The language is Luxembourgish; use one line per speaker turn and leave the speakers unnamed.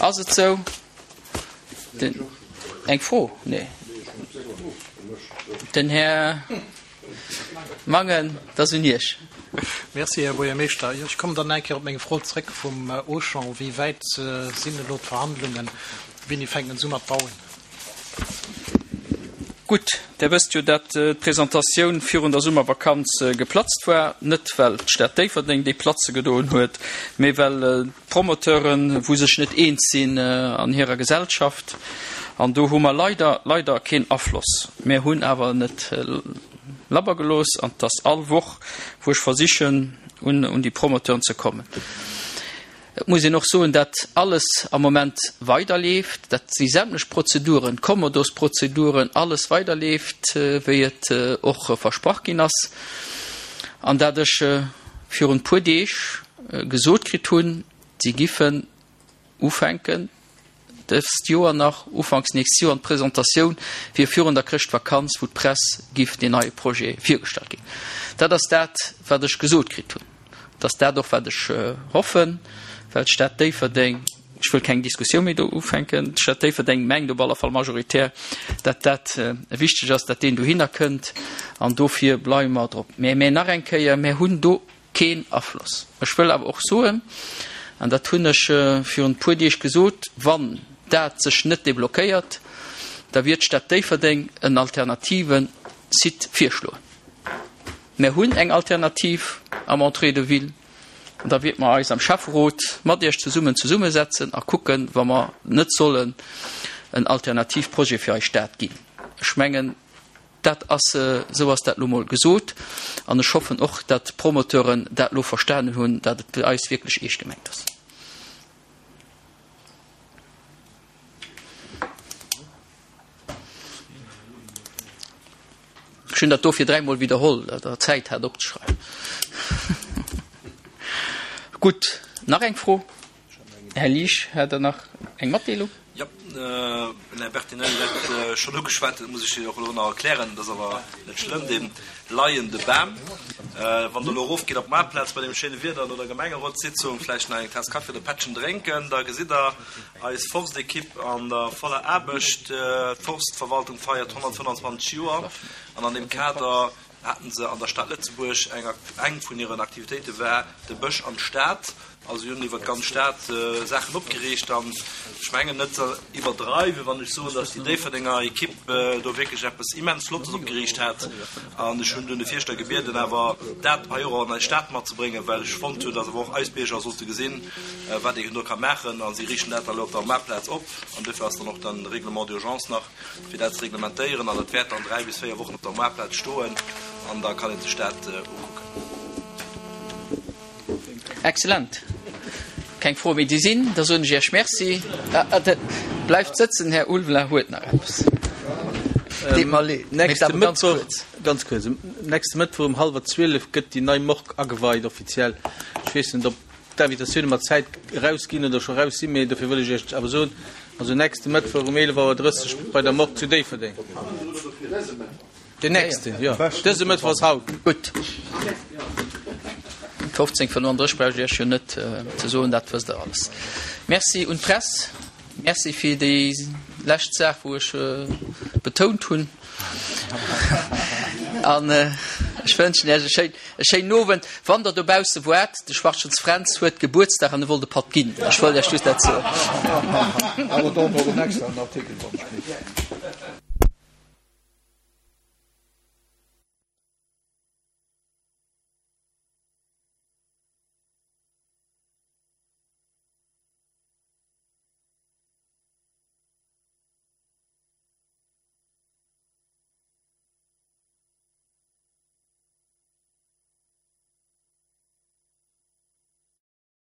Ass et sou? Den, eng Fro? Nee. Den Här Mangen, et ass un Iech.
Merci, Här Buergermeeschter. Jo, ech kommen dann eng Kéier op meng Fro zréck vum Auchan. Wéi wäit sinn elo d'Verhandlungen? Wéini fänken se u mat bauen?
Gutt, Der wësst jo, dat d'Presentatioun virun der Summervakanz geplatzt war, net well d'Stad Déifferdeng déi platze gedoen huet, mee well d'Promoteuren, wou sech net eens sinn an hirer Gesellschaft. An do hu mer leider, leider keen Afloss. Mir hunn awer net labber gelooss an et ass all Woch, wou ech versichen, un déi Promoteuren ze kommen. Et muss een och soen, dat alles am Moment weiderleeft, dat déi sämtlech Prozeduren, d'Kommodosprozeduren, alles weiderleeft, wéi et och versprach ginn ass, an dat ech virun e puer Deeg gesot kritt hunn, si giffen ufänken dëst Joer nach, ufanks nächst Joer, an d'Presentatioun wier virun der Chrëschtvakanz, wou d'Press giff deen neie Projet virgestallt ginn. Dat ass dat, wat ech gesot kritt hunn. Et ass dat och, wat ech hoffen, well d'Stad Déifferdeng, ech wëll keng Diskussioun méi do ufänken, d'Stad Déifferdeng mengt op alle Fall majoritär, dat dat wichteg ass, dat deen dohinner kënnt, an dofir bleiwe mer drop. Mä, mä nach eng Kéier, mir hunn do Keen Afloss. Ech wëll awer och soen, an dat hunn ech virun e puer Deeg gesot, wann dat sech net deblockéiert, da wier d'Stad Déifferdeng en alternative Site virschloen. Mär hunn eng Alternativ am Entrée de ville an da wierte mer eis am Schäfferot mat Iech zesummen zesummesetzen a kucken, wa mer net sollen en alternativ Projet fir eis Stad ginn. Ech mengen, Dat ass, esou ass dat elo mol gesot. An ech hoffen och, datt d'Promoteuren dat elo verstanen hunn, datt et bei eis wierklech eescht gemengt ass. Ech hunn dat dofir dräimol widderholl, datt Der Zäit hat opzeschreiwen. Gutt, nach eng Fro? Här Liesch, hat Der nach eng Matdeelung?
Jo, den Här Bertinelli huet dat schonn ugeschwat, dat muss ech jo och elo nach erklären, dat ass awer net schlëmm, dee leiende Bam. Wann Der elo erofgeet op d'Maartplaz bei deem schéine Wieder no der Gemengerotssitzung, vläicht nach eng Taass Kaffi oder e Pättchen drénken, da gesitt Der eis Forstekipp an der voller Aarbecht. D'Forstverwaltung feiert 125 Joer an an deem Kader haten se an der Stad Lëtzebuerg eng eng vun hiren Aktivitéite war de Bësch an d'Stad. Also si hunn iwwer d'ganz Stad Saachen opgeriicht an ech mengen net ze iwwerdreiwen, wann ech soen, datt déi Déifferdenger Ekipp do wierklech eppes immens Flottes opgeriicht hat. An ech hunn dunn de Fierschter gebieden, awer dat hei och an eis Stad matzebréngen, well ech fonnt hunn, datt awer och eis Bierger sollte gesinn, wat een do ka maachen. A si riichten dat da elo op der Maartplaz op an duerfir ass dann och den Règlement d'urgence nach fir dat ze reglementéieren an dat wäert dann 3 bis 4 Wochen op der Moartplaz stoen an da kann ee sech dat ukucken.
Excellent. Keng Froe méi déi sinn, da soen ech Iech Merci. Bleift sëtzen, Här Ulveling huet nach eppes.
Deet mer leed, mee et awer ganz kuerz. Ganz kuerz, Nächste Mëttwoch um hallwer 12 gëtt déi nei Morgue ageweit offiziell. Ech weess net, ob d'Invitatioune mat Zäit erausginn oder scho raus sinn, mee dofir wëll ech Iech awer soen, also nächste Mëttwoch um 11 Auer 30 bei der Morgue zu Déifferdeng. Den nächsten, jo. Dëse Mëttwoch ass haut.
Gutt. 15.35 brauch ech Iech jo net ze soen, dat wësst Der alles. Merci un d'Press. Merci fir déi lescht Saach, wou ech betount hunn. An ech wënschen Iech e schéin, e schéinen Owend. Wann Der dobausse woart, de Schwarzschens Fränz huet Gebuertsdag an e wollt e Patt ginn. Ech wollt Iech just dat soen.
Awer do war en extraen Artikel dran.